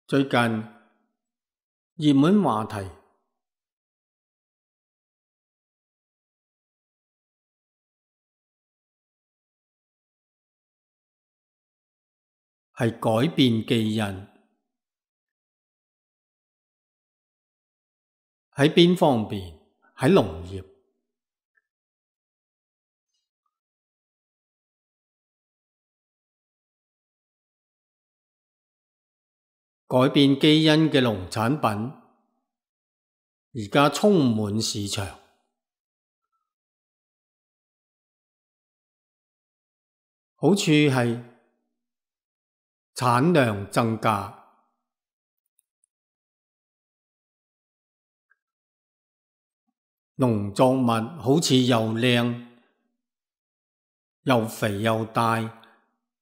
最近熱門話題係改變基因，喺邊方面？喺農業。改變基因嘅農產品而家充滿市場，好處係產量增加，農作物好似又靚又肥又大，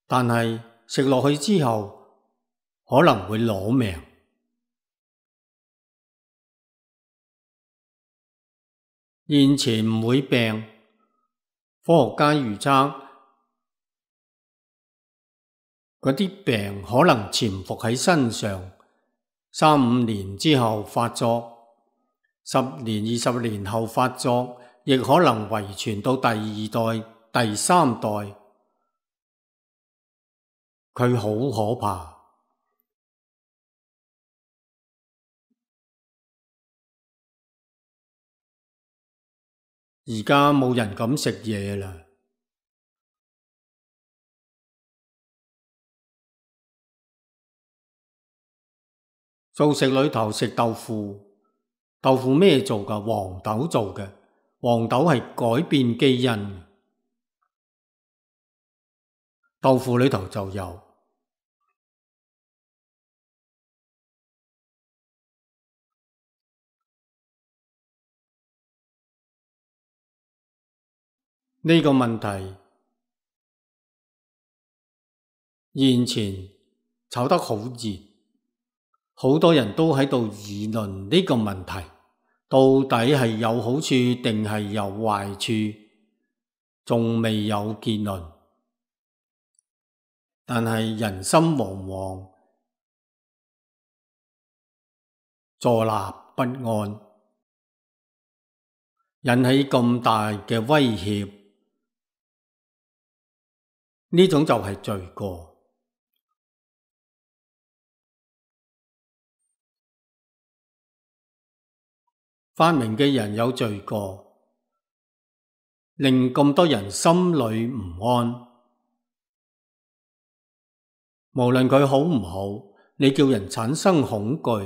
但係食落去之後可能會攞命。現前唔會病，科學家預測嗰啲病可能潛伏喺身上，3-5年之後發作，10年、20年後發作，亦可能遺傳到第2代、第3代。佢好可怕。而家冇人敢食嘢啦。素食裏頭食豆腐，豆腐咩做㗎？黃豆做嘅，黃豆係改變基因。豆腐裏頭就有。呢個問題現前炒得好熱，好多人都喺度議論呢個問題，到底係有好處定係有壞處，仲未有結論。但係人心惶惶，坐立不安，引起咁大嘅威脅，呢種就係罪過。發明嘅人有罪過，令咁多人心裏唔安。無論佢好唔好，你叫人產生恐懼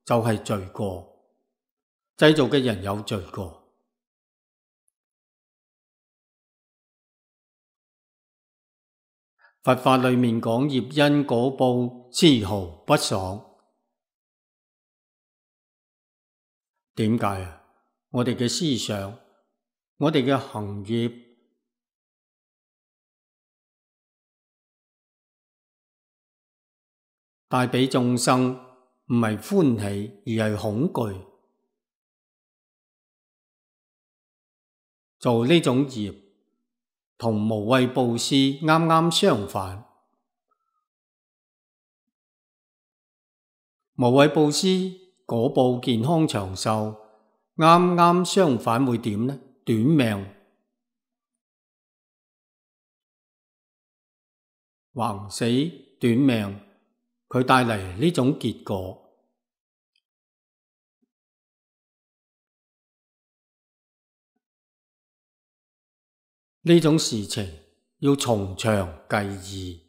就係罪過。製造嘅人有罪過。佛法裏面講業因果報，絲毫不爽。點解啊？我哋嘅思想，我哋嘅行業帶俾眾生唔係歡喜，而係恐懼。做呢種業同無畏布施啱啱相反。無畏布施果報健康長壽，啱啱相反會點呢？短命，橫死短命，佢帶嚟呢種結果。呢種事情要從長計議，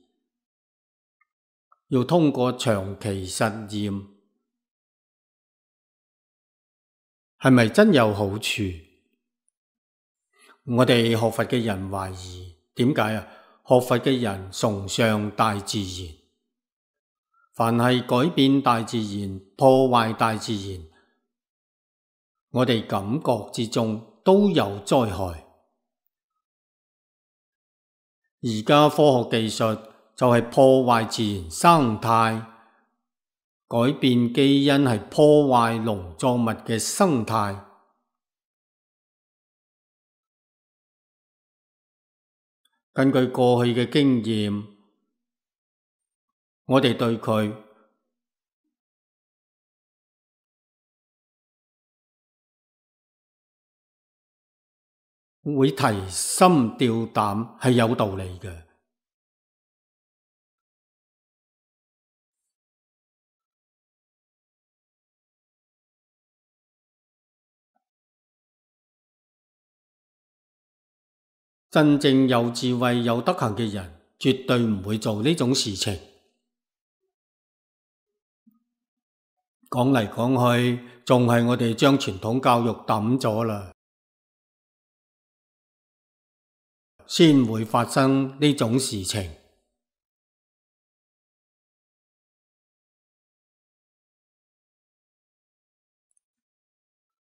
要通過長期實驗，係咪真有好處？我哋學佛嘅人懷疑，點解啊？學佛嘅人崇尚大自然，凡係改變大自然、破壞大自然，我哋感覺之中都有災害。而家科學技術就係破壞自然生態，改變基因係破壞農作物嘅生態。根據過去嘅經驗，我哋對佢會提心吊膽，係有道理嘅。真正有智慧有德行嘅人，絕對唔會做呢種事情。講嚟講去，仲係我哋將傳統教育抌咗啦，先會發生呢種事情。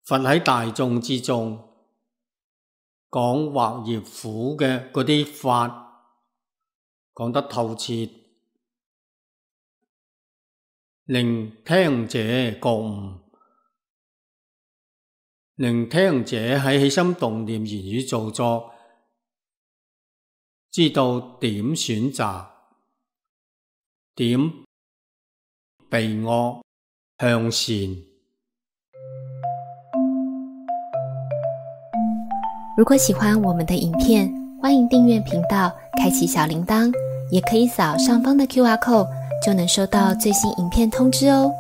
佛喺大眾之中講惑業苦嘅嗰啲法，講得透徹，令聽者覺悟，令聽者喺起心動念、言語造作，知道點選擇，點避惡向善。如果喜歡我們的影片，歡迎訂閱頻道，開啟小鈴鐺，也可以掃上方的QR code，就能收到最新影片通知哦。